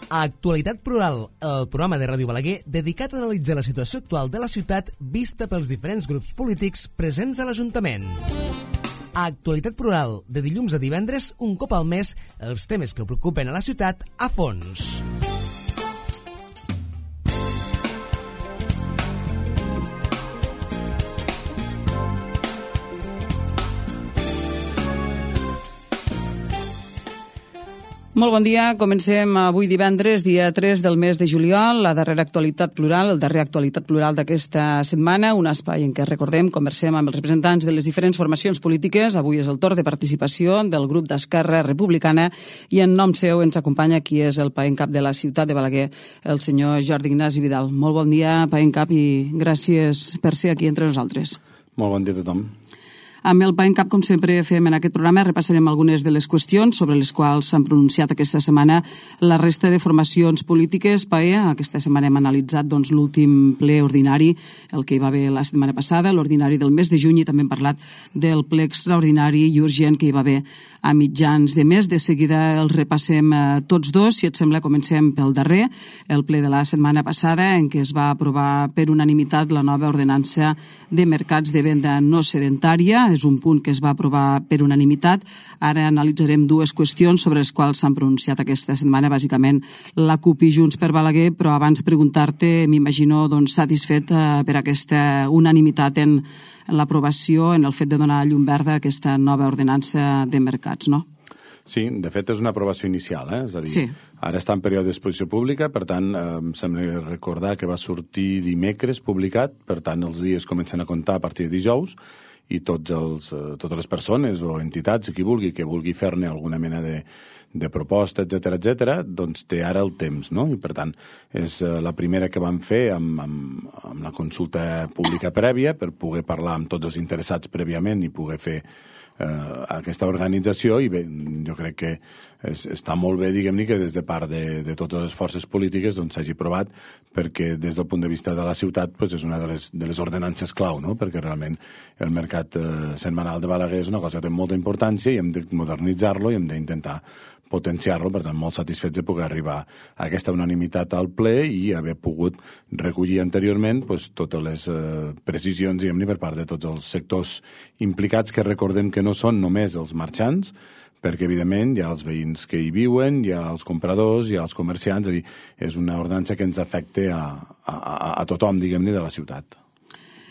Actualitat Plural, el programa de Ràdio Balaguer dedicat a analitzar la situació actual de la ciutat vista pels diferents grups polítics presents a l'Ajuntament. Actualitat Plural, de dilluns a divendres, un cop al mes, els temes que preocupen a la ciutat a fons. Molt bon dia. Comencem avui divendres, dia 3 del mes de juliol, la darrera actualitat plural, el darrer actualitat plural d'aquesta setmana, un espai en què, recordem, conversem amb els representants de les diferents formacions polítiques. Avui és el torn de participació del grup d'Esquerra Republicana i en nom seu ens acompanya qui és el paencap de la ciutat de Balaguer, el senyor Jordi Ignasi Vidal. Molt bon dia, paencap, i gràcies per ser aquí entre nosaltres. Molt bon dia a tothom. Amb el paencap, com sempre fem en aquest programa, repassarem algunes de les qüestions sobre les quals s'han pronunciat aquesta setmana la resta de formacions polítiques. Aquesta setmana hem analitzat l'últim ple ordinari, el que hi va haver la setmana passada, l'ordinari del mes de juny, i també hem parlat del ple extraordinari i urgent que hi va haver a mitjans de mes. De seguida el repassem tots dos. Si et sembla, comencem pel darrer, el ple de la setmana passada, en què es va aprovar per unanimitat la nova ordenança de mercats de venda no sedentària. És un punt que es va aprovar per unanimitat. Ara analitzarem dues qüestions sobre les quals s'han pronunciat aquesta setmana, bàsicament la CUP i Junts per Balaguer, però abans preguntar-te, m'imagino satisfet per aquesta unanimitat en l'aprovació, en el fet de donar llum verda a aquesta nova ordenança de mercats, no? Sí, de fet és una aprovació inicial, és a dir, sí. Ara està en període d'exposició pública, per tant, em sembla recordar que va sortir dimecres publicat, per tant, els dies comencen a comptar a partir de dijous, i totes les persones o entitats, qui vulgui fer-ne alguna mena de proposta, etcètera, doncs té ara el temps, no? I per tant, és la primera que vam fer amb la consulta pública prèvia per poder parlar amb tots els interessats prèviament i poder fer aquesta organització, i bé, jo crec que està molt bé, diguem-ne, que des de part de totes les forces polítiques s'hagi aprovat, perquè des del punt de vista de la ciutat és una de les ordenances clau, no? Perquè realment el mercat setmanal de Balaguer és una cosa que té molta importància i hem de modernitzar-lo i hem d'intentar potenciar-lo, per tant, molt satisfets de poder arribar a aquesta unanimitat al ple i haver pogut recollir anteriorment totes les precisions, diguem-ne, per part de tots els sectors implicats, que recordem que no són només els marxants, perquè, evidentment, hi ha els veïns que hi viuen, hi ha els compradors, hi ha els comerciants, és a dir, és una ordenança que ens afecta a tothom, diguem-ne, de la ciutat.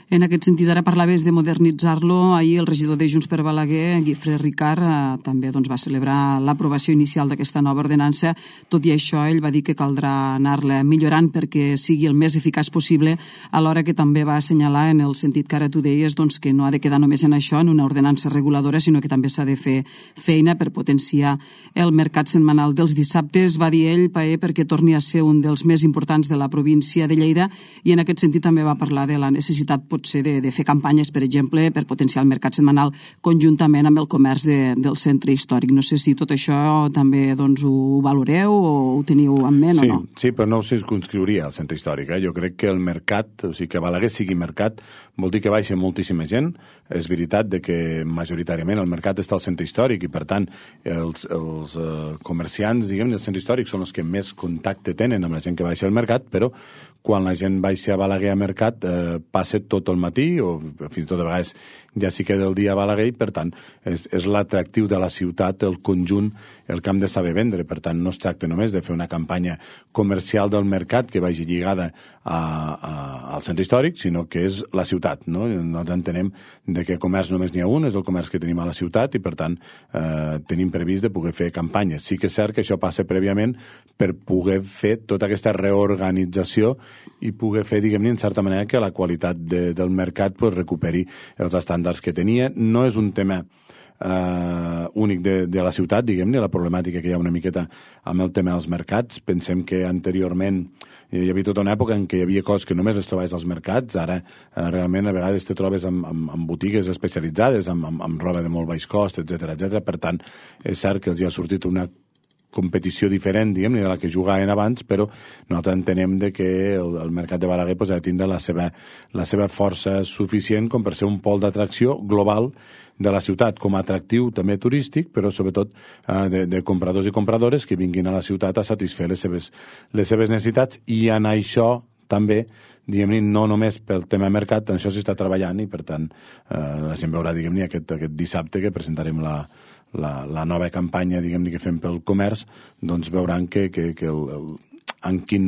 En aquest sentit, ara parlaves de modernitzar-lo. Ahir el regidor de Junts per Balaguer, Guifré Ricard, també va celebrar l'aprovació inicial d'aquesta nova ordenança. Tot i això, ell va dir que caldrà anar-la millorant perquè sigui el més eficaç possible, alhora que també va assenyalar, en el sentit que ara tu deies, que no ha de quedar només en això, en una ordenança reguladora, sinó que també s'ha de fer feina per potenciar el mercat setmanal dels dissabtes. Va dir ell, perquè torni a ser un dels més importants de la província de Lleida, i en aquest sentit també va parlar de la necessitat potser de fer campanyes, per exemple, per potenciar el mercat setmanal conjuntament amb el comerç del centre històric. No sé si tot això també ho valoreu o ho teniu en ment o no. Sí, però no ho circunscriuria al centre històric. Jo crec que el mercat, o sigui, que Balaguer sigui mercat, vol dir que baixa moltíssima gent. És veritat que majoritàriament el mercat està al centre històric i, per tant, els comerciants, diguem, del centre històric són els que més contacte tenen amb la gent que baixa al mercat, però quan la gent baixa a Balaguer a mercat passa tot el matí o fins i tot a vegades ja s'hi queda el dia a Balaguer, i per tant és l'atractiu de la ciutat, el conjunt, el que hem de saber vendre. Per tant, no es tracta només de fer una campanya comercial del mercat que vagi lligada al centre històric, sinó que és la ciutat, no? Nosaltres entenem que comerç només n'hi ha un, és el comerç que tenim a la ciutat, i per tant tenim previst de poder fer campanyes. Sí que és cert que això passa prèviament per poder fer tota aquesta reorganització i poder fer, diguem-ne, en certa manera, que la qualitat del mercat recuperi els estàndards que tenia. No és un tema únic de la ciutat, diguem-ne, la problemàtica que hi ha una miqueta amb el tema dels mercats. Pensem que anteriorment hi havia tota una època en què hi havia coses que només les trobaves als mercats. Ara realment a vegades te trobes amb botigues especialitzades, amb roba de molt baix cost, etcètera. Per tant, és cert que els hi ha sortit una competició diferent, diguem-ne, de la que jugaven abans, però nosaltres entenem que el mercat de Balaguer ha de tindre la seva força suficient com per ser un pol d'atracció global de la ciutat com a atractiu també turístic, però sobretot de compradors i compradores que vinguin a la ciutat a satisfer les seves necessitats, i en això també, diguem-ne, no només pel tema mercat, en això s'està treballant, i per tant la gent veurà, diguem-ne, aquest dissabte que presentarem la nova campanya, diguem-ne, que fem pel comerç, doncs veuran que en quin,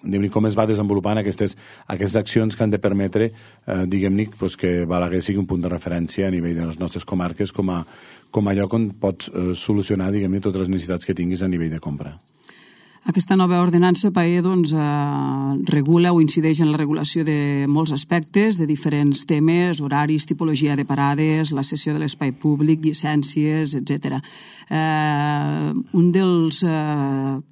diguem-ne, com es va desenvolupant aquestes accions que han de permetre, diguem-ne, que Balaguer sigui un punt de referència a nivell de les nostres comarques com a lloc on pots solucionar, diguem-ne, totes les necessitats que tinguis a nivell de compra. Aquesta nova ordenança, Paé, doncs, regula o incideix en la regulació de molts aspectes, de diferents temes, horaris, tipologia de parades, la cessió de l'espai públic, llicències, etc. Un dels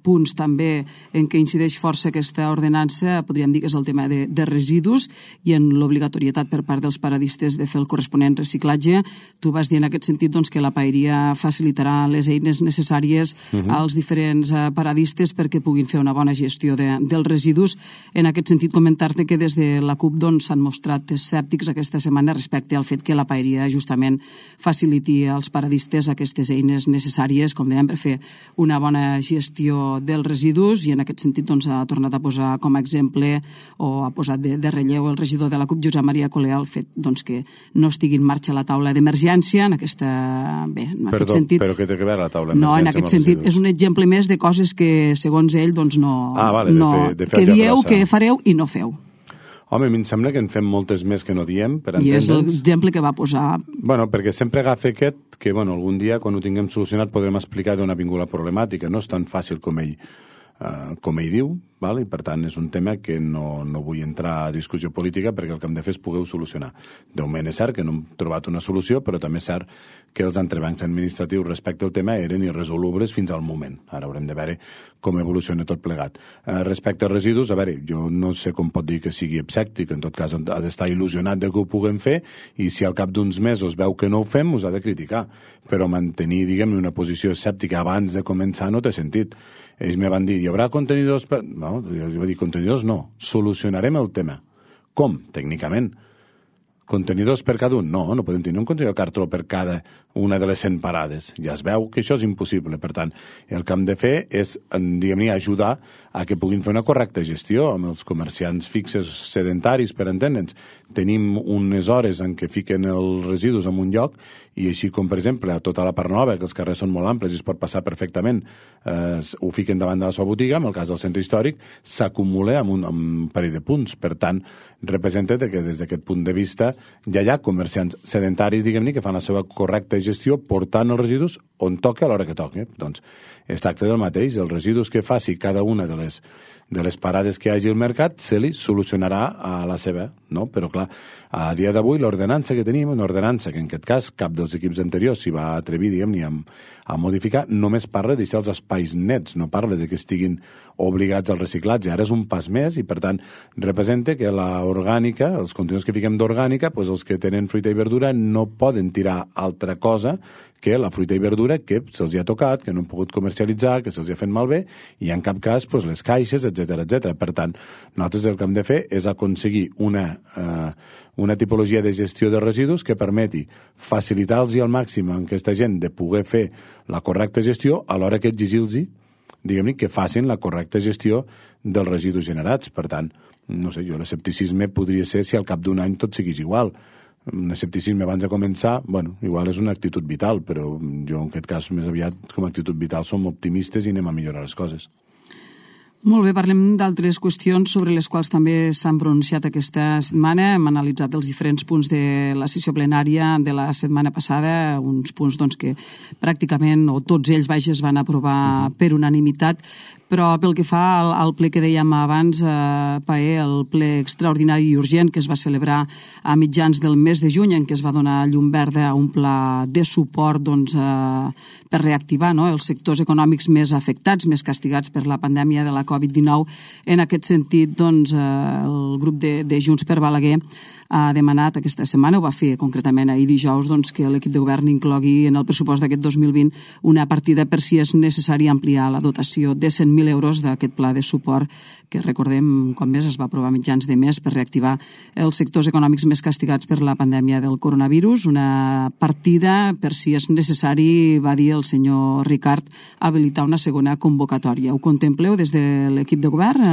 punts també en què incideix força aquesta ordenança, podríem dir que és el tema de residus i en l'obligatorietat per part dels paradistes de fer el corresponent reciclatge. Tu vas dir en aquest sentit doncs, que la paeria facilitarà les eines necessàries als diferents paradistes perquè puguin fer una bona gestió dels residus. En aquest sentit, comentar-te que des de la CUP s'han mostrat escèptics aquesta setmana respecte al fet que la paeria justament faciliti als paradistes aquestes eines necessàries, com dèiem, per fer una bona gestió dels residus, i en aquest sentit ha tornat a posar com a exemple o ha posat de relleu el regidor de la CUP, Josep Maria Colea, el fet que no estigui en marxa la taula d'emergència en aquest sentit. Però què té a veure la taula d'emergència? No, en aquest sentit és un exemple més de coses que segons ell que dieu que fareu i no feu. Home, a mi em sembla que en fem moltes més que no diem, per entendre'ns. I és l'exemple que va posar. Bueno, perquè sempre agafa aquest que, algun dia, quan ho tinguem solucionat, podrem explicar d'on ha vingut la problemàtica. No és tan fàcil com ell diu, i per tant és un tema que no vull entrar a discussió política, perquè el que hem de fer és poder-ho solucionar. De moment és cert que no hem trobat una solució, però també és cert que els entrebancs administratius respecte al tema eren irresolubles fins al moment. Ara haurem de veure com evoluciona tot plegat. Respecte als residus, jo no sé com pot dir que sigui escèptic, en tot cas ha d'estar il·lusionat de que ho puguem fer, i si al cap d'uns mesos veu que no ho fem, us ha de criticar. Però mantenir, diguem-ne, una posició escèptica abans de començar no té sentit. Ells me van dir, hi haurà contenidors? No, jo vaig dir, contenidors no, solucionarem el tema. Com? Tècnicament. Contenidors per cada un? No, no podem tenir un contenidor de cartró per cada una de les 100 parades. Ja es veu que això és impossible. Per tant, el que hem de fer és, diguem-ne, ajudar a que puguin fer una correcta gestió amb els comerciants fixes sedentaris, per entendre'ns. Tenim unes hores en què fiquen els residus en un lloc, i així com, per exemple, a tota la part nova, que els carrers són molt amples i es pot passar perfectament, ho fiquen davant de la seva botiga, en el cas del centre històric, s'acumula amb un parell de punts. Per tant, representa que des d'aquest punt de vista ja hi ha comerciants sedentaris, diguem-ne, que fan la seva correcta gestió portant els residus on toca a l'hora que toca. Doncs es tracta del mateix. Els residus que faci cada una de les parades que hi hagi al mercat se li solucionarà a la seva, no? Però clar, a dia d'avui l'ordenança que tenim, una ordenança que en aquest cas cap dels equips anteriors s'hi va atrevir, diguem-ne, a modificar, només parla de deixar els espais nets, no parla de que estiguin obligats al reciclatge. Ara és un pas més i per tant representa que l'orgànica, els contenidors que fiquem d'orgànica, doncs els que tenen fruita i verdura no poden tirar altra cosa que la fruita i verdura que se'ls ha tocat, que no han pogut comercialitzar, que se'ls ha fet malbé, i en cap cas les caixes, etc. Per tant, nosaltres el que hem de fer és aconseguir una tipologia de gestió de residus que permeti facilitar-los al màxim a aquesta gent de poder fer la correcta gestió, alhora que exigir-los, diguem-ne, que facin la correcta gestió dels residus generats. Per tant, no sé, l'escepticisme podria ser si al cap d'un any tot seguís igual. Un escepticisme abans de començar, igual és una actitud vital, però jo en aquest cas més aviat com a actitud vital som optimistes i anem a millorar les coses. Molt bé, parlem d'altres qüestions sobre les quals també s'han pronunciat aquesta setmana. Hem analitzat els diferents punts de la sessió plenària de la setmana passada, uns punts que pràcticament, o tots ells, es van aprovar per unanimitat, però pel que fa al ple que dèiem abans, Paé, el ple extraordinari i urgent que es va celebrar a mitjans del mes de juny, en què es va donar llum verda a un pla de suport per reactivar els sectors econòmics més afectats, més castigats per la pandèmia de la Covid-19. En aquest sentit, el grup de Junts per Balaguer ha demanat aquesta setmana, ho va fer concretament ahir dijous, que l'equip de govern inclogui en el pressupost d'aquest 2020 una partida per si és necessari ampliar la dotació de 100.000 700.000 euros d'aquest pla de suport que, recordem, com més es va aprovar mitjans de mes per reactivar els sectors econòmics més castigats per la pandèmia del coronavirus. Una partida, per si és necessari, va dir el senyor Ricart, habilitar una segona convocatòria. Ho contempleu des de l'equip de govern?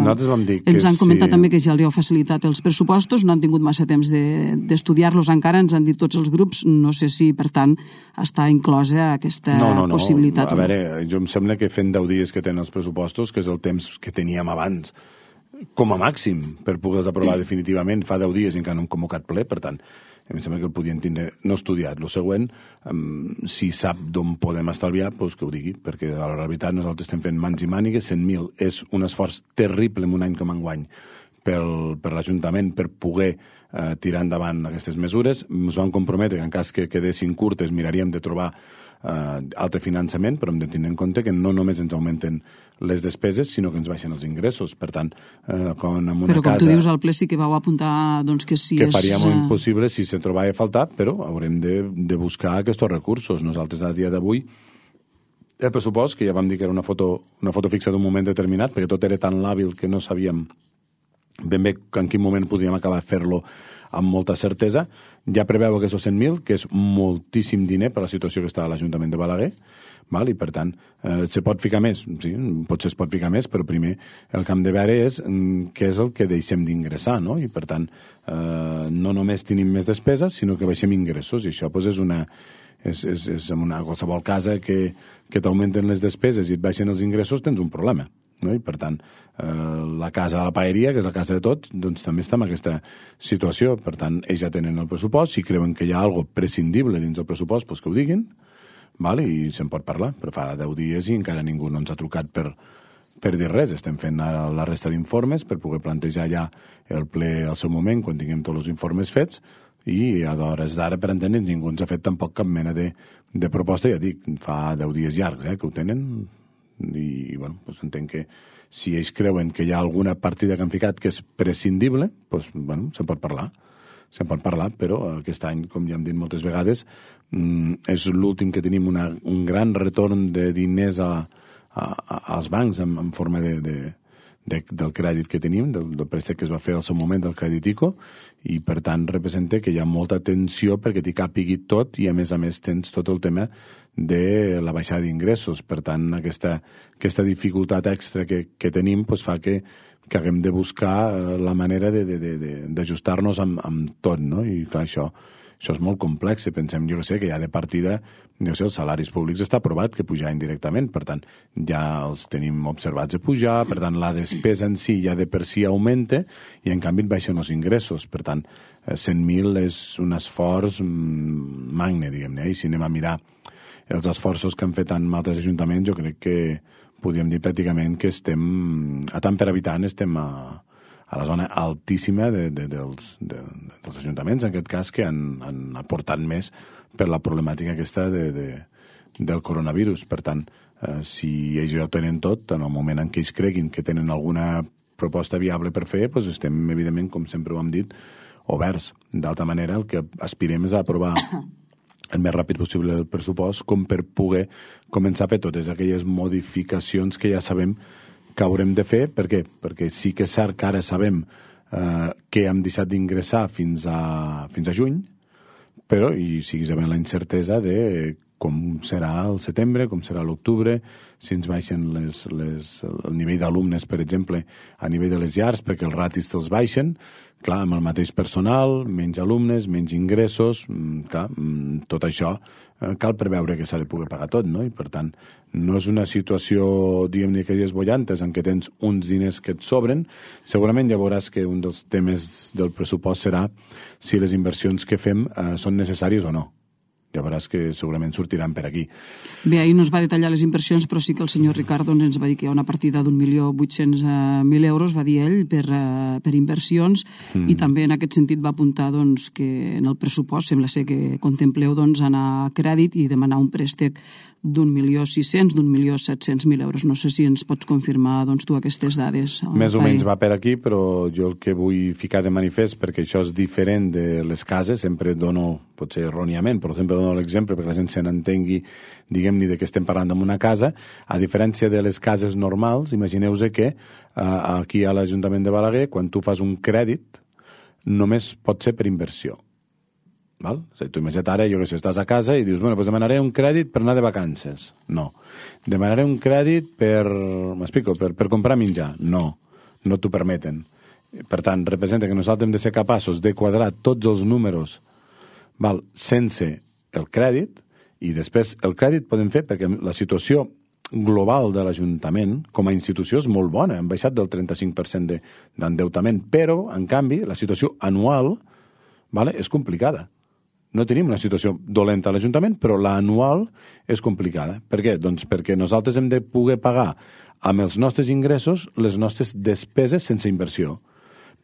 Nosaltres vam dir que ens han comentat sí. També que ja els heu facilitat els pressupostos, no han tingut massa temps d'estudiar-los encara, ens han dit tots els grups, no sé si, per tant, està inclosa aquesta possibilitat. A veure, jo em sembla que fent 10 dies que tenen els pressupostos, que és el temps que teníem abans, com a màxim, per poder-los aprovar definitivament, fa 10 dies i encara no hem convocat ple, per tant, em sembla que el podien tindre no estudiat. Lo següent, si sap d'on podem estalviar, doncs que ho digui, perquè a la realitat nosaltres estem fent mans i mànigues, 100.000 és un esforç terrible en un any com enguany per l'Ajuntament per poder tirar endavant aquestes mesures. Ens vam comprometre que en cas que quedessin curtes miraríem de trobar altre finançament, però hem de tenir en compte que no només ens augmenten les despeses, sinó que ens baixen els ingressos. Per tant, quan en una però com casa... tu dius, al ple sí que vau apuntar doncs, que si que faríem impossible si se trobava a faltar, però haurem de buscar aquests recursos. Nosaltres, a dia d'avui, el pressupost, que ja vam dir que era una foto fixa d'un moment determinat, perquè tot era tan làbil que no sabíem ben bé en quin moment podríem acabar de fer-lo amb molta certesa, ja preveu aquests 100.000, que és moltíssim diner per la situació que està a l'Ajuntament de Balaguer, val? I per tant, se pot ficar més, sí, potser es pot ficar més, però primer el que hem de veure és què és el que deixem d'ingressar, no? I per tant, no només tenim més despeses, sinó que baixem ingressos, i això doncs, és en una qualsevol casa que t'augmenten les despeses i et baixen els ingressos, tens un problema. No? I per tant, la casa de la paeria, que és la casa de tots, doncs també està en aquesta situació. Per tant, ells ja tenen el pressupost, si creuen que hi ha alguna prescindible dins del pressupost, doncs que ho diguin, val? I se'n pot parlar, però fa 10 dies i encara ningú no ens ha trucat per dir res. Estem fent ara la resta d'informes per poder plantejar ja el ple al seu moment, quan tinguem tots els informes fets, i a d'hores d'ara, per entendre'ns, ningú ens ha fet tampoc cap mena de proposta. Ja dic, fa 10 dies llargs que ho tenen, i bueno, doncs entenc que si ells creuen que hi ha alguna partida que han ficat que és prescindible, doncs, bueno, se'n pot parlar, però aquest any, com ja hem dit moltes vegades, és l'últim que tenim un gran retorn de diners als bancs en forma del crèdit que tenim, del préstec que es va fer al seu moment del crèdit ICO, i per tant representa que hi ha molta tensió perquè t'hi càpigui tot, i a més tens tot el tema de la baixada d'ingressos. Per tant, aquesta dificultat extra que tenim doncs fa que haguem de buscar la manera d'ajustar-nos amb tot, no? I clar, això és molt complex. Pensem, jo que ja de partida, els salaris públics està aprovat que pujaran directament, per tant, ja els tenim observats a pujar, per tant, la despesa en si ja de per si augmenta i en canvi et baixen els ingressos. Per tant, 100.000 és un esforç magne, diguem-ne, i si anem a mirar els esforços que han fet en altres ajuntaments, jo crec que podríem dir pràcticament que estem, a tant per habitant, estem a la zona altíssima dels ajuntaments, en aquest cas, que han aportat més per la problemàtica aquesta del coronavirus. Per tant, si ells ja ho tenen tot, en el moment en què ells creguin que tenen alguna proposta viable per fer, doncs estem, evidentment, com sempre ho hem dit, oberts. D'altra manera, el que aspirem és a aprovar el més ràpid possible el pressupost, com per poder començar a fer totes aquelles modificacions que ja sabem que haurem de fer. Per què? Perquè sí que és cert que ara sabem que hem deixat d'ingressar fins a juny, però i sigui sabent la incertesa de com serà el setembre, com serà l'octubre, si ens baixen el nivell d'alumnes, per exemple, a nivell de les llars, perquè els ratis te'ls baixen, clar, amb el mateix personal, menys alumnes, menys ingressos, clar, tot això cal preveure que s'ha de poder pagar tot, no? I per tant, no és una situació, diguem-ne, que és bollantes, en què tens uns diners que et sobren. Segurament ja veuràs que un dels temes del pressupost serà si les inversions que fem són necessàries o no. Ja veuràs que segurament sortiran per aquí. Bé, ahir no es va detallar les inversions, però sí que el senyor Ricardo ens va dir que hi ha una partida d'1.800.000 euros, va dir ell, per inversions, i també en aquest sentit va apuntar doncs, que en el pressupost sembla ser que contempleu doncs, anar a crèdit i demanar un préstec d'1.600.000, d'1.700.000 euros. No sé si ens pots confirmar doncs, tu aquestes dades. Més o menys va per aquí, però jo el que vull ficar de manifest, perquè això és diferent de les cases, sempre dono potser erròniament, però sempre dono l'exemple perquè la gent se n'entengui, diguem-ne, de què estem parlant en una casa, a diferència de les cases normals, imagineu-vos que aquí a l'Ajuntament de Balaguer, quan tu fas un crèdit, només pot ser per inversió. Val? O sigui, tu imagina't ara, jo que sé, estàs a casa i dius, bueno, doncs demanaré un crèdit per anar de vacances. No. Demanaré un crèdit per, m'explico, per comprar menjar. No, no t'ho permeten. Per tant, representa que nosaltres hem de ser capaços de quadrar tots els números, val, sense el crèdit, i després el crèdit podem fer perquè la situació global de l'Ajuntament com a institució és molt bona, hem baixat del 35% d'endeutament, però, en canvi, la situació anual, vale, és complicada. No tenim una situació dolenta a l'Ajuntament, però l'anual és complicada. Per què? Doncs perquè nosaltres hem de poder pagar amb els nostres ingressos les nostres despeses sense inversió.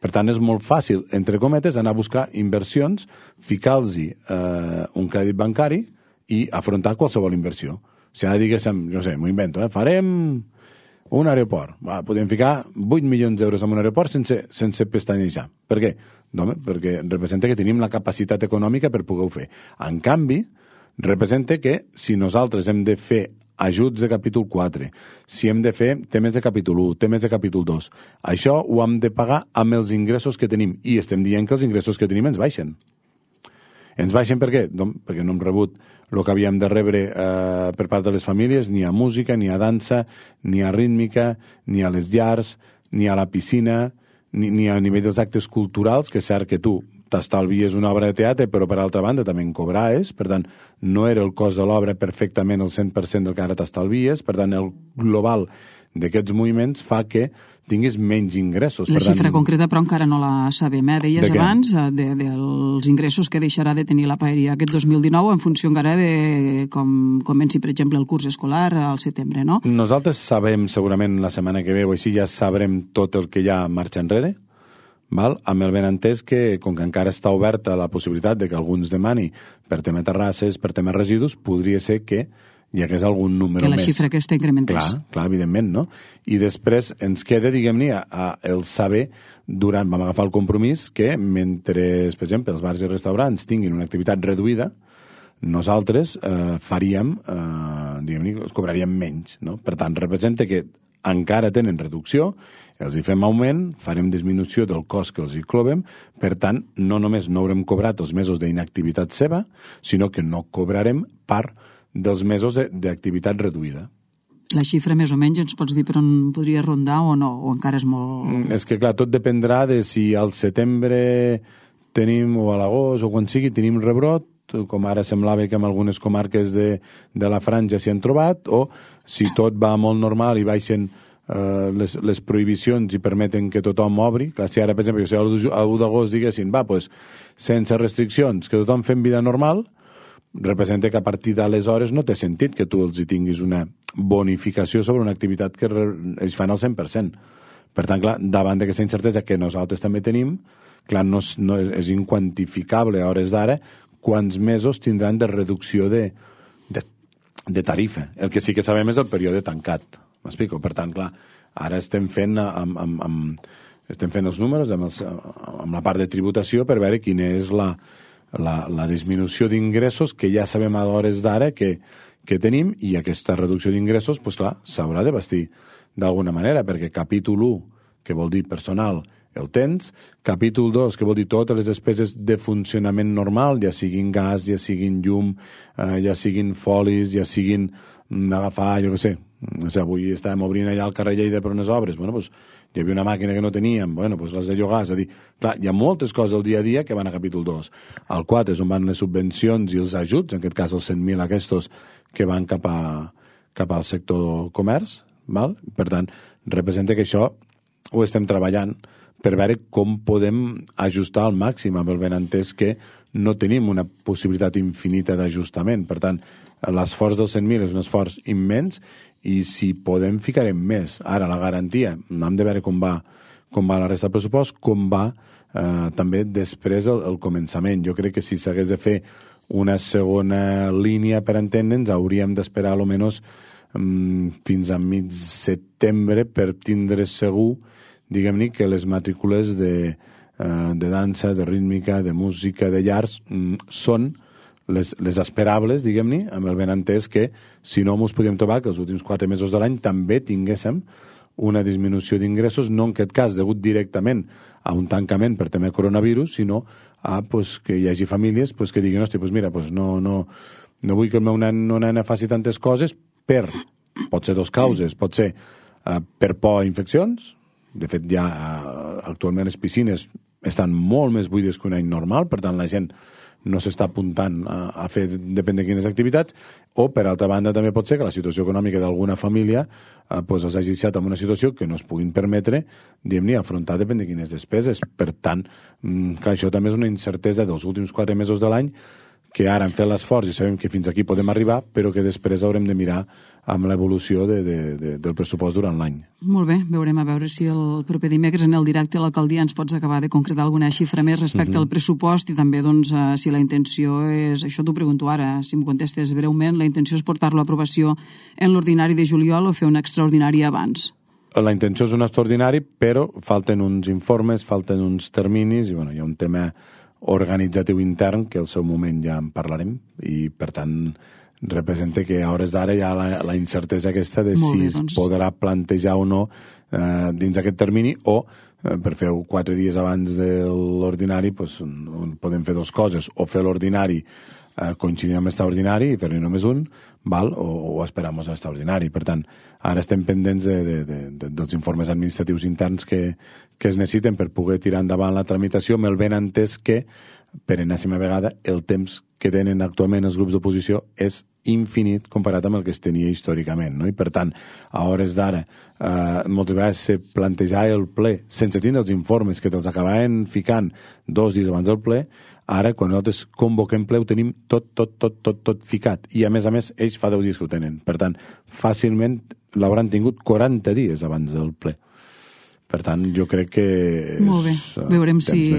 Per tant, és molt fàcil, entre cometes, anar a buscar inversions, ficar-los un crèdit bancari i afrontar qualsevol inversió. Si ara diguéssim, no sé, m'ho invento, farem un aeroport. Podem ficar 8 milions d'euros en un aeroport sense pestanejar. Per què? Perquè representa que tenim la capacitat econòmica per poder-ho fer. En canvi, representa que si nosaltres hem de fer ajuts de capítol 4, si hem de fer temes de capítol 1, temes de capítol 2, això ho hem de pagar amb els ingressos que tenim, i estem dient que els ingressos que tenim ens baixen. Ens baixen per què? Perquè no hem rebut el que havíem de rebre per part de les famílies, ni a música, ni a dansa, ni a rítmica, ni a les llars, ni a la piscina, ni a nivell dels actes culturals, que és cert que tu t'estalvies una obra de teatre, però per altra banda també en cobraves, per tant, no era el cost de l'obra perfectament el 100% del que ara t'estalvies, per tant, el global d'aquests moviments fa que tinguis menys ingressos. La xifra concreta, però, encara no la sabem. Deies abans dels ingressos que deixarà de tenir la paeria aquest 2019 en funció encara de com comenci, per exemple, el curs escolar al setembre, no? Nosaltres sabem, segurament, la setmana que ve o així, ja sabrem tot el que hi ha marxa enrere, val? Amb el benentès que, com que encara està oberta la possibilitat de que alguns demani per tema terrasses, per tema residus, podria ser que hi hagués algun número més. Que la xifra aquesta incrementés. Clar, evidentment, no? I després ens queda, diguem-ne, el saber, vam agafar el compromís que mentre, per exemple, els bars i restaurants tinguin una activitat reduïda, nosaltres faríem, diguem-ne, els cobraríem menys, no? Per tant, representa que encara tenen reducció, els hi fem augment, farem disminució del cost que els hi clovem, per tant, no només no haurem cobrat els mesos d'inactivitat seva, sinó que no cobrarem part dels mesos d'activitat reduïda. La xifra més o menys ens pots dir per on podria rondar o no? O encara és molt... És que, clar, tot dependrà de si al setembre tenim, o a l'agost, o quan sigui, tenim rebrot, com ara semblava que en algunes comarques de la Franja s'hi han trobat, o si tot va molt normal i baixen les prohibicions i permeten que tothom obri. Clar, si ara, per exemple, a l'1 d'agost diguessin, doncs, sense restriccions, que tothom fem vida normal, representa que a partir d'aleshores no té sentit que tu els hi tinguis una bonificació sobre una activitat que ells fan al 100%. Per tant, clar, davant d'aquesta incertesa que nosaltres també tenim, clar, no és inquantificable a hores d'ara quants mesos tindran de reducció de tarifa. El que sí que sabem és el període tancat. M'explico? Per tant, clar, ara estem fent els números amb la part de tributació per veure quina és la disminució d'ingressos que ja sabem a hores d'ara que tenim, i aquesta reducció d'ingressos, doncs clar, s'haurà de vestir d'alguna manera, perquè capítol 1, que vol dir personal, el tens, capítol 2, que vol dir totes les despeses de funcionament normal, ja siguin gas, ja siguin llum, ja siguin folis, ja siguin agafar, jo què sé, avui estàvem obrint allà al carrer Lleida per unes obres, bueno, doncs hi havia una màquina que no teníem, bueno, doncs les de llogar, és a dir, clar, hi ha moltes coses al dia a dia que van a capítol 2. Al 4 és on van les subvencions i els ajuts, en aquest cas els 100.000 aquests que van cap al sector comerç, val? Per tant, representa que això ho estem treballant per veure com podem ajustar al màxim, amb el benentès que no tenim una possibilitat infinita d'ajustament. Per tant, l'esforç dels 100.000 és un esforç immens, i si podem ficarem més. Ara, la garantia, hem de veure com va la resta del pressupost, com va també després el començament. Jo crec que si s'hagués de fer una segona línia per entendre'ns, hauríem d'esperar almenys fins a mig setembre per tindre segur, diguem-ne, que les matrícules de dansa, de rítmica, de música, de llars, són les esperables, diguem-ne, amb el benentès que si no ens podíem trobar que els últims 4 mesos de l'any també tinguéssim una disminució d'ingressos, no en aquest cas degut directament a un tancament per tema de coronavirus, sinó a que hi hagi famílies que diguin, hosti, mira, no vull que el meu nen o nena faci tantes coses pot ser 2 causes, pot ser per por a infeccions, de fet ja actualment les piscines estan molt més buides que un any normal, per tant la gent no s'està apuntant a fer depèn de quines activitats, o per altra banda també pot ser que la situació econòmica d'alguna família els hagi deixat en una situació que no es puguin permetre, diguem-ne, afrontar depèn de quines despeses. Per tant, clar, això també és una incertesa dels últims 4 mesos de l'any, que ara hem fet l'esforç i sabem que fins aquí podem arribar, però que després haurem de mirar amb l'evolució del pressupost durant l'any. Molt bé, veurem a veure si el proper dimecres en el directe a l'alcaldia ens pots acabar de concretar alguna xifra més respecte al pressupost i també doncs, si la intenció és, això t'ho pregunto ara, si em contestes breument, la intenció és portar-lo a aprovació en l'ordinari de juliol o fer un extraordinari abans? La intenció és un extraordinari, però falten uns informes, falten uns terminis i hi ha un tema organitzatiu intern, que al seu moment ja en parlarem, i per tant representa que a hores d'ara hi ha la incertesa aquesta de si es podrà plantejar o no dins d'aquest termini, o per fer-ho 4 dies abans de l'ordinari podem fer 2 coses, o fer l'ordinari coincidint amb l'extraordinari i fer-ne només un, o esperar-nos a l'extraordinari. Per tant, ara estem pendents dels informes administratius interns que es necessiten per poder tirar endavant la tramitació, amb el ben entès que, per enèsima vegada, el temps que tenen actualment els grups d'oposició és infinit comparat amb el que es tenia històricament, no? I per tant, a hores d'ara, moltes vegades se plantejava el ple sense tindre els informes que te'ls acabaven ficant 2 dies abans del ple. Ara, quan nosaltres convoquem ple, ho tenim tot ficat. I, a més, ells fa 10 dies que ho tenen. Per tant, fàcilment l'hauran tingut 40 dies abans del ple. Per tant, jo crec que molt bé. Veurem si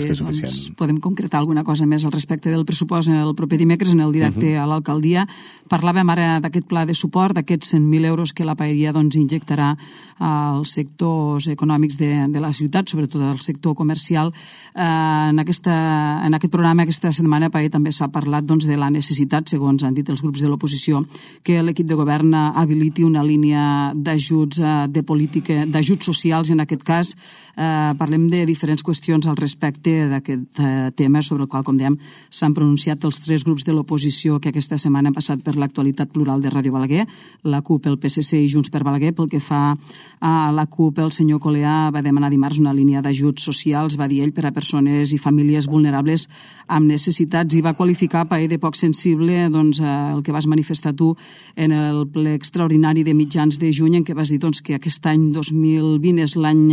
podem concretar alguna cosa més al respecte del pressupost el proper dimecres en el directe a l'alcaldia. Parlàvem ara d'aquest pla de suport, d'aquests 100.000 euros que la paeria injectarà als sectors econòmics de la ciutat, sobretot al sector comercial. En aquest programa, aquesta setmana, també s'ha parlat de la necessitat, segons han dit els grups de l'oposició, que l'equip de govern habiliti una línia d'ajuts de política, d'ajuts socials, en aquest cas. Parlem de diferents qüestions al respecte d'aquest tema, sobre el qual, com dèiem, s'han pronunciat els 3 grups de l'oposició que aquesta setmana han passat per l'actualitat plural de Ràdio Balaguer, la CUP, el PSC i Junts per Balaguer. Pel que fa a la CUP, el senyor Coleà va demanar dimarts una línia d'ajuts socials, va dir ell, per a persones i famílies vulnerables amb necessitats, i va qualificar de poc sensible el que vas manifestar tu en el ple extraordinari de mitjans de juny, en què vas dir que aquest any 2020 és l'any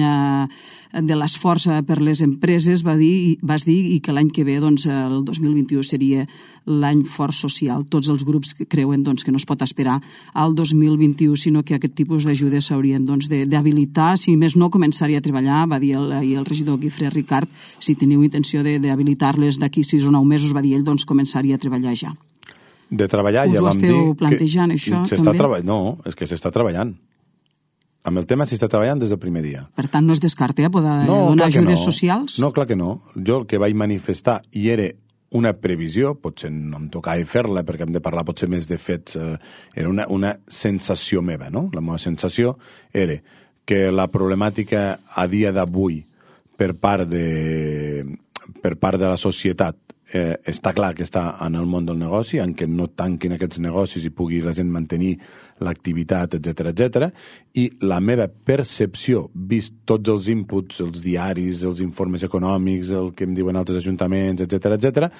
de l'esforç per les empreses, vas dir, i que l'any que ve, el 2021, seria l'any fort social. Tots els grups creuen que no es pot esperar al 2021, sinó que aquest tipus d'ajudes s'haurien d'habilitar, si més no començar a treballar. Va dir el regidor Guifré Ricard, si teniu intenció d'habilitar-les d'aquí 6 o 9 mesos, va dir ell, començar a treballar ja. De treballar, ja vam dir... Us ho esteu plantejant, això, també? No, és que s'està treballant. Amb el tema s'està treballant des del primer dia. Per tant, no es descarta poder donar ajudes socials? No, clar que no. Jo el que vaig manifestar, i era una previsió, potser no em tocava fer-la perquè hem de parlar potser més de fets, era una sensació meva, no? La meva sensació era que la problemàtica a dia d'avui per part de la societat està clar que està en el món del negoci, en què no tanquin aquests negocis i pugui la gent mantenir l'activitat, etc. I la meva percepció, vist tots els inputs, els diaris, els informes econòmics, el que em diuen altres ajuntaments, etc.,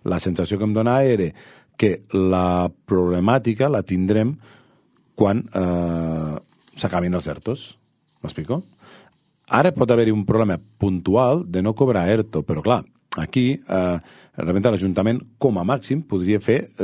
la sensació que em donava era que la problemàtica la tindrem quan s'acabin els ERTOs. M'explico? Ara pot haver-hi un problema puntual de no cobrar ERTO, però clar, aquí realment l'Ajuntament com a màxim podria fer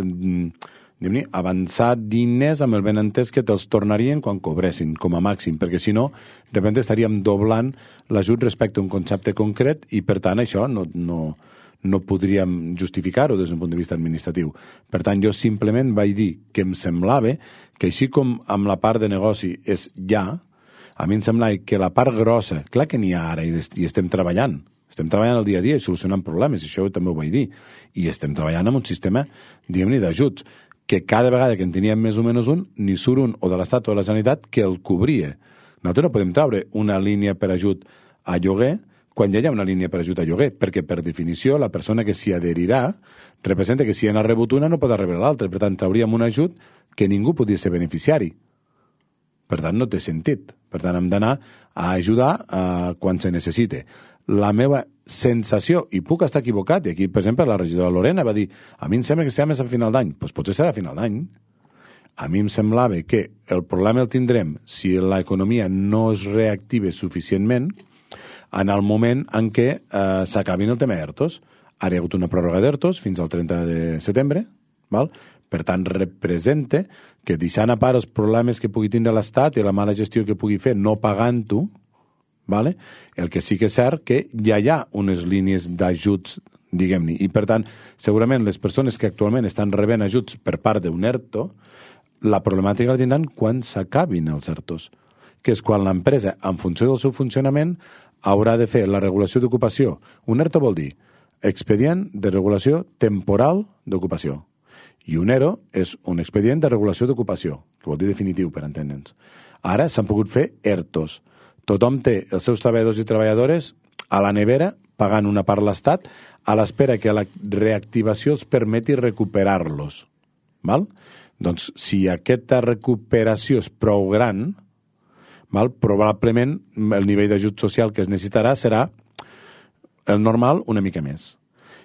avançar diners amb el benentès que te'ls tornarien quan cobressin com a màxim, perquè si no de repente estaríem doblant l'ajut respecte a un concepte concret i per tant això no podríem justificar-ho des d'un punt de vista administratiu. Per tant, jo simplement vaig dir que em semblava que així com amb la part de negoci és ja, a mi em semblava que la part grossa, clar que n'hi ha ara i estem treballant, Estem treballant el dia a dia i solucionant problemes, i això també ho vaig dir. I estem treballant amb un sistema, diguem-ne, d'ajuts, que cada vegada que en teníem més o menys un, ni surt un o de l'Estat o de la Generalitat que el cobria. Nosaltres no podem treure una línia per ajut a lloguer quan ja hi ha una línia per ajut a lloguer, perquè per definició la persona que s'hi adherirà representa que si n'ha rebut una no pot rebre l'altra. Per tant, trauríem un ajut que ningú podia ser beneficiari. Per tant, no té sentit. Per tant, hem d'anar a ajudar quan se necessite. La meva sensació, i puc estar equivocat, i aquí, per exemple, la regidora Lorena va dir a mi em sembla que estem a final d'any. Doncs potser serà a final d'any. A mi em semblava que el problema el tindrem si l'economia no es reactive suficientment en el moment en què s'acabin el tema d'ERTOs. Ara hi ha hagut una pròrroga d'ERTOs fins al 30 de setembre, val? Per tant, representa que deixant a part els problemes que pugui tindre l'Estat i la mala gestió que pugui fer no pagant-ho, vale? El que sí que és cert que ja hi ha unes línies d'ajuts, diguem-ne, i per tant, segurament les persones que actualment estan rebent ajuts per part d'un ERTO, la problemàtica la tindran quan s'acabin els ERTOs, que és quan l'empresa, en funció del seu funcionament, haurà de fer la regulació d'ocupació. Un ERTO vol dir expedient de regulació temporal d'ocupació. I un ERO és un expedient de regulació d'ocupació, que vol dir definitiu, per entendre'ns. Ara s'han pogut fer ERTOs. Tothom té els seus treballadors i treballadores a la nevera, pagant una part l'Estat, a l'espera que la reactivació els permeti recuperar-los. Val? Doncs, si aquesta recuperació és prou gran, val? Probablement el nivell d'ajut social que es necessitarà serà el normal una mica més.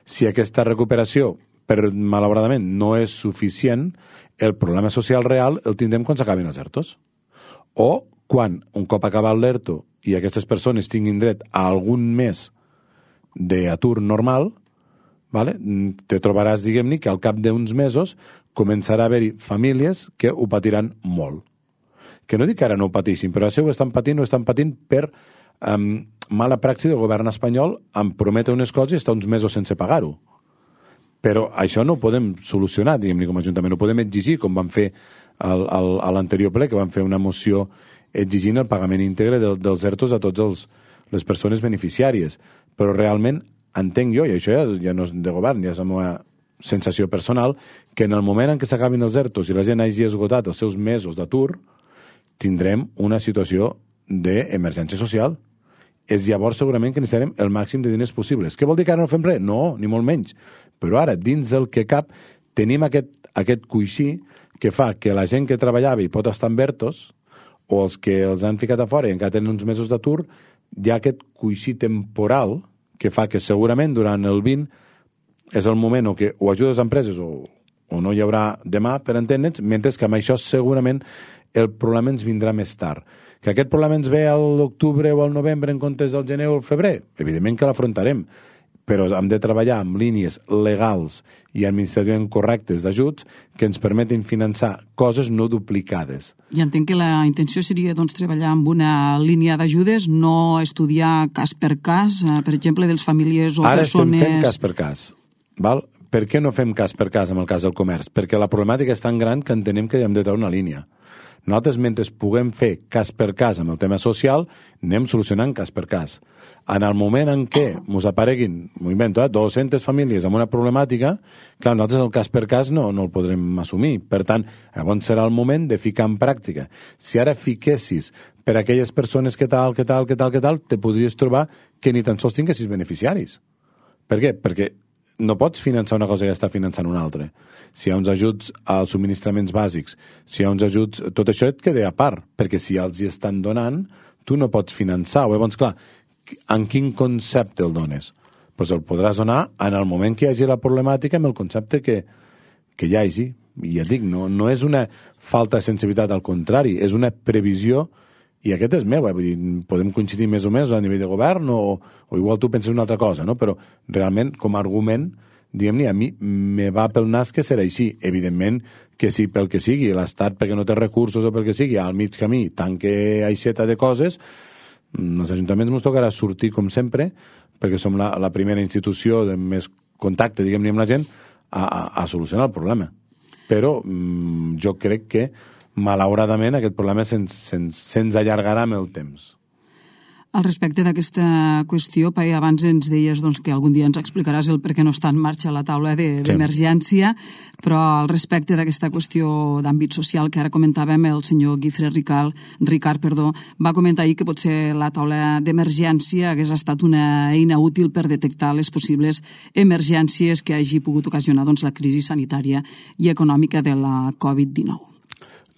Si aquesta recuperació, malauradament, no és suficient, el problema social real el tindrem quan s'acabin els ERTOs. O quan, un cop acabat l'ERTO i aquestes persones tinguin dret a algun mes d'atur normal, vale? Te trobaràs, diguem-ne, que al cap d'uns mesos començarà a haver-hi famílies que ho patiran molt. Que no dic que ara no ho pateixin, però això ho estan patint per mala praxi del govern espanyol en prometre unes coses i estar uns mesos sense pagar-ho. Però això no ho podem solucionar, diguem-ne, com a Ajuntament. No ho podem exigir, com vam fer a l'anterior ple, que vam fer una moció exigint el pagament íntegre dels ERTOs a totes les persones beneficiàries. Però realment entenc jo, i això ja no és de govern, ja és la meva sensació personal, que en el moment en què s'acabin els ERTOs i la gent hagi esgotat els seus mesos d'atur, tindrem una situació d'emergència social. És llavors segurament que necessitarem el màxim de diners possibles. Què vol dir que ara no fem res? No, ni molt menys. Però ara, dins del que cap, tenim aquest coixí que fa que la gent que treballava i pot estar en ERTOs, o els que els han ficat a fora i encara tenen uns mesos d'atur, hi ha aquest coixí temporal que fa que segurament durant el 20 és el moment o que o ajudes a empreses o no hi haurà demà, per entendre'ns, mentre que amb això segurament el problema ens vindrà més tard. Que aquest problema ens ve a l'octubre o al novembre en comptes del gener o el febrer? Evidentment que l'afrontarem, però hem de treballar amb línies legals i administrativament correctes d'ajuts que ens permetin finançar coses no duplicades. I entenc que la intenció seria treballar amb una línia d'ajudes, no estudiar cas per cas, per exemple, dels famílies o Ara persones... Ara estem fent cas per cas. Val? Per què no fem cas per cas amb el cas del comerç? Perquè la problemàtica és tan gran que entenem que hem de treure una línia. Nosaltres, mentre puguem fer cas per cas amb el tema social, anem solucionant cas per cas. En el moment en què ens apareguin, m'ho invento, 200 famílies amb una problemàtica, clar, nosaltres el cas per cas no el podrem assumir. Per tant, llavors serà el moment de ficar en pràctica. Si ara fiquessis per aquelles persones que tal, te podries trobar que ni tan sols tinguessis beneficiaris. Per què? Perquè no pots finançar una cosa i està finançant una altra. Si hi ha uns ajuts als subministraments bàsics, si hi ha uns ajuts... Tot això et queda a part, perquè si els hi estan donant, tu no pots finançar. Llavors, clar, en quin concepte el dones? Doncs el podràs donar en el moment que hi hagi la problemàtica amb el concepte que hi hagi. I ja dic, no és una falta de sensibilitat, al contrari, és una previsió, i aquest és meu, vull dir, podem coincidir més o més a nivell de govern o igual tu penses una altra cosa, no? Però realment, com a argument, diguem-ne, a mi me va pel nas que serà així. Evidentment que sí, pel que sigui, l'Estat, perquè no té recursos o pel que sigui, al mig camí, tanque aixeta de coses, els ajuntaments ens tocarà sortir, com sempre, perquè som la primera institució de més contacte, diguem-ne, amb la gent, a solucionar el problema. Però jo crec que malauradament aquest problema se'ns allargarà amb el temps. Al respecte d'aquesta qüestió, Pai, abans ens deies que algun dia ens explicaràs el per què no està en marxa la taula d'emergència, però al respecte d'aquesta qüestió d'àmbit social que ara comentàvem, el senyor Guifré Ricard va comentar ahir que potser la taula d'emergència hagués estat una eina útil per detectar les possibles emergències que hagi pogut ocasionar la crisi sanitària i econòmica de la Covid-19.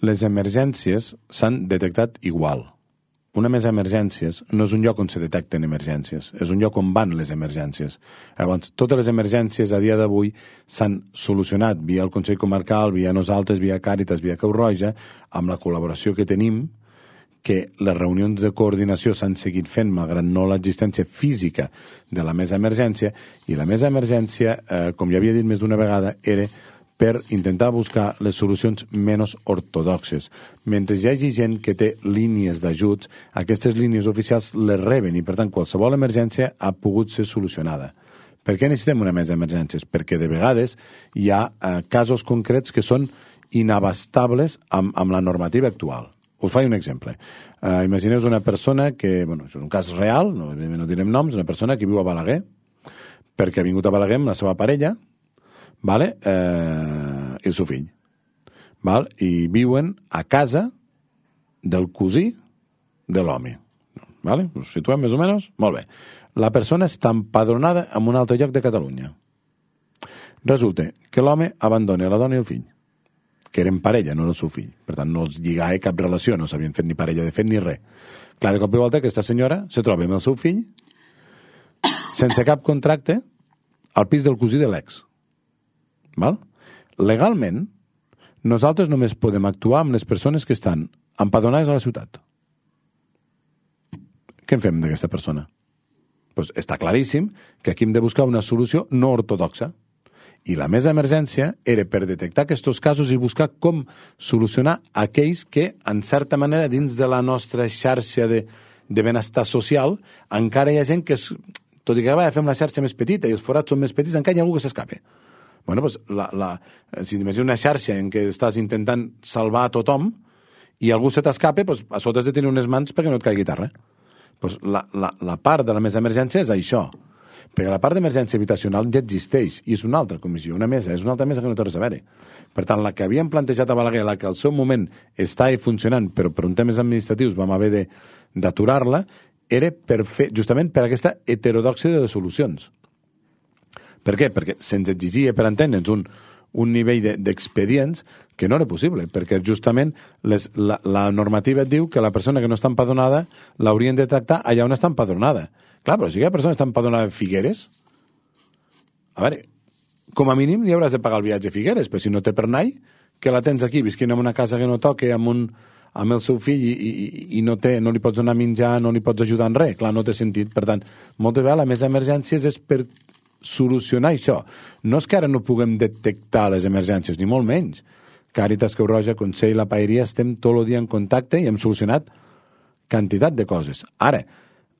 Les emergències s'han detectat igual. Una mesa d'emergències no és un lloc on se detecten emergències, és un lloc on van les emergències. Llavors, totes les emergències a dia d'avui s'han solucionat via el Consell Comarcal, via nosaltres, via Càritas, via Creu Roja, amb la col·laboració que tenim, que les reunions de coordinació s'han seguit fent malgrat no l'existència física de la mesa d'emergència, i la mesa d'emergència, com ja havia dit més d'una vegada, era per intentar buscar les solucions menys ortodoxes. Mentre hi hagi gent que té línies d'ajuts, aquestes línies oficials les reben i, per tant, qualsevol emergència ha pogut ser solucionada. Per què necessitem una mesa d'emergències? Perquè de vegades hi ha casos concrets que són inabastables amb la normativa actual. Us faig un exemple. Imagineu una persona que, és un cas real, no direm noms, una persona que viu a Balaguer, perquè ha vingut a Balaguer amb la seva parella, i el seu fill. I viuen a casa del cosí de l'home. Us situem més o menys? Molt bé. La persona està empadronada en un altre lloc de Catalunya. Resulta que l'home abandona la dona i el fill, que eren parella, no el seu fill. Per tant, no els lligava cap relació, no s'havien fet ni parella de fet ni res. Clar, de cop i volta aquesta senyora se troba amb el seu fill sense cap contracte al pis del cosí de l'ex. Legalment, nosaltres només podem actuar amb les persones que estan empadronades a la ciutat. Què en fem d'aquesta persona? Està claríssim que aquí hem de buscar una solució no ortodoxa. I la mesa d'emergència era per detectar aquests casos i buscar com solucionar aquells que, en certa manera, dins de la nostra xarxa de benestar social, encara hi ha gent que, tot i que fem la xarxa més petita i els forats són més petits, encara hi ha algú que s'escape. Si t'imagines una xarxa en què estàs intentant salvar a tothom i algú se t'escape, a sota has de tenir unes mans perquè no et caigui terra. La part de la mesa d'emergència és això. Perquè la part d'emergència habitacional ja existeix i és una altra comissió, una mesa, és una altra mesa que no té res a veure. Per tant, la que havíem plantejat a Balaguer, la que al seu moment estava funcionant, però per un temes administratius vam haver d'aturar-la, era justament per aquesta heterodòxia de les solucions. Per què? Perquè se'ns exigia, per entendre'ns, un nivell d'expedients que no era possible, perquè justament la normativa et diu que la persona que no està empadronada l'haurien de tractar allà on està empadronada. Clar, però si aquella persona està empadronada a Figueres, a veure, com a mínim li hauràs de pagar el viatge a Figueres, però si no té per anar, que la tens aquí, visquint en una casa que no toque, amb el seu fill i no li pots donar menjar, no li pots ajudar en res, clar, no té sentit. Per tant, moltes vegades la mesa d'emergències és per solucionar això. No és que ara no puguem detectar les emergències, ni molt menys. Càritas, Creu Roja, Consell, la Paeria, estem tot el dia en contacte i hem solucionat quantitat de coses. Ara,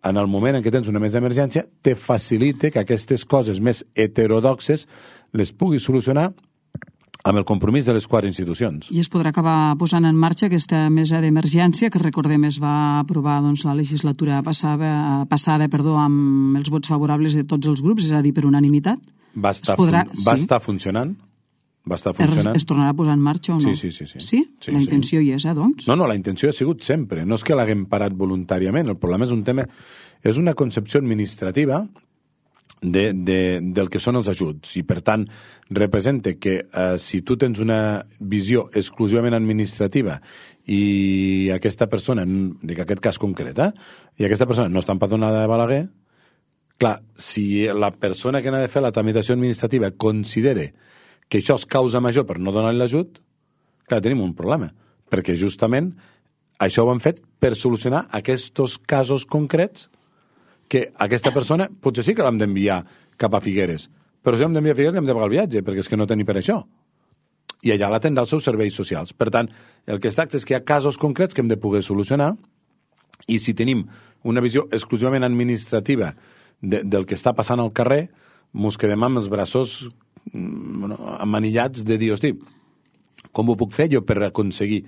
en el moment en què tens una mesa d'emergència, te facilita que aquestes coses més heterodoxes les puguis solucionar amb el compromís de les 4 institucions. I es podrà acabar posant en marxa aquesta mesa d'emergència que, recordem, es va aprovar la legislatura passada amb els vots favorables de tots els grups, és a dir, per unanimitat? Va estar funcionant. Es tornarà a posar en marxa o no? Sí. Sí? La intenció hi és, doncs? No, la intenció ha sigut sempre. No és que l'haguem parat voluntàriament. El problema és un tema... És una concepció administrativa del que són els ajuts. I, per tant, representa que si tu tens una visió exclusivament administrativa i aquesta persona, dic aquest cas concret, i aquesta persona no està empadronada de Balaguer, clar, si la persona que n'ha de fer la tramitació administrativa considera que això és causa major per no donar l'ajut, clar, tenim un problema, perquè justament això ho han fet per solucionar aquests casos concrets que aquesta persona potser sí que l'hem d'enviar cap a Figueres, però si l'hem d'enviar a Figueres hem de pagar el viatge, perquè és que no té ni per això. I allà l'atendrà els seus serveis socials. Per tant, el que es tracta és que hi ha casos concrets que hem de poder solucionar i si tenim una visió exclusivament administrativa del que està passant al carrer, mos quedem amb els braços emmanillats de dir, hosti, com ho puc fer jo per aconseguir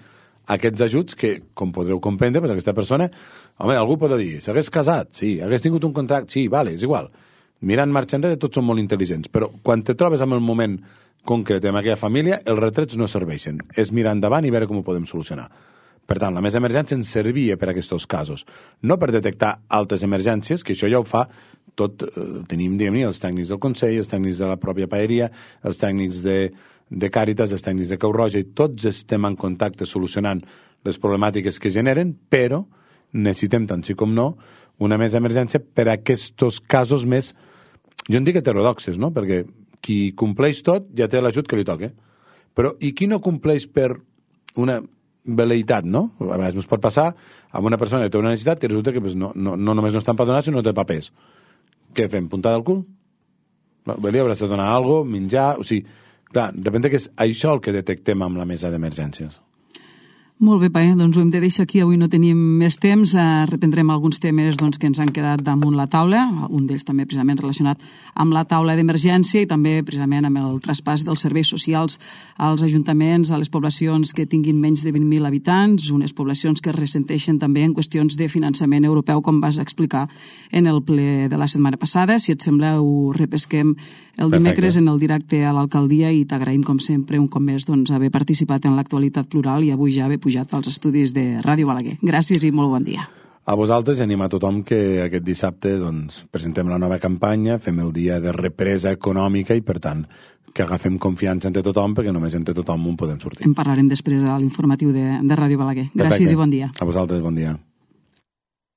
aquests ajuts que, com podreu comprendre, pues aquesta persona, home, algú pot dir, s'hagués casat, sí, hagués tingut un contracte, sí, vale, és igual. Mirant marxa enrere, tots són molt intel·ligents, però quan te trobes amb el moment concret en aquella família, els retrets no serveixen. És mirar endavant i veure com ho podem solucionar. Per tant, la mesa d'emergència ens servia per a aquests casos. No per detectar altres emergències, que això ja ho fa tot. Tenim, diguem-ne, els tècnics del Consell, els tècnics de la pròpia paeria, els tècnics de Càritas, els tècnics de Creu Roja, i tots estem en contacte solucionant les problemàtiques que generen, però necessitem, tant sí com no, una mesa d'emergència per a aquests casos més, jo en dic heterodoxes, no? Perquè qui compleix tot ja té l'ajut que li toca. Però i qui no compleix per una veleïtat, no? A vegades no es pot passar amb una persona que té una necessitat que resulta que pues, no només no està empadronat, sinó no té papers. Què fem? Puntada al cul? Li hauràs de donar alguna cosa, menjar... O sigui, clar, de repente que és això el que detectem amb la mesa d'emergències. Molt bé, Pae, doncs ho hem de deixar aquí. Avui no tenim més temps. Reprendrem alguns temes que ens han quedat damunt la taula, un d'ells també precisament relacionat amb la taula d'emergència i també precisament amb el traspàs dels serveis socials als ajuntaments, a les poblacions que tinguin menys de 20.000 habitants, unes poblacions que es ressenteixen també en qüestions de finançament europeu, com vas explicar en el ple de la setmana passada. Si et sembla, ho repesquem el dimecres en el directe a l'alcaldia i t'agraïm, com sempre, un cop més haver participat en l'actualitat plural i avui ja haver pujat als estudis de Ràdio Balaguer. Gràcies i molt bon dia. A vosaltres i animar a tothom que aquest dissabte presentem la nova campanya, fem el dia de represa econòmica i, per tant, que agafem confiança entre tothom, perquè només entre tothom en podem sortir. En parlarem després a l'informatiu de Ràdio Balaguer. Gràcies i bon dia. A vosaltres, bon dia.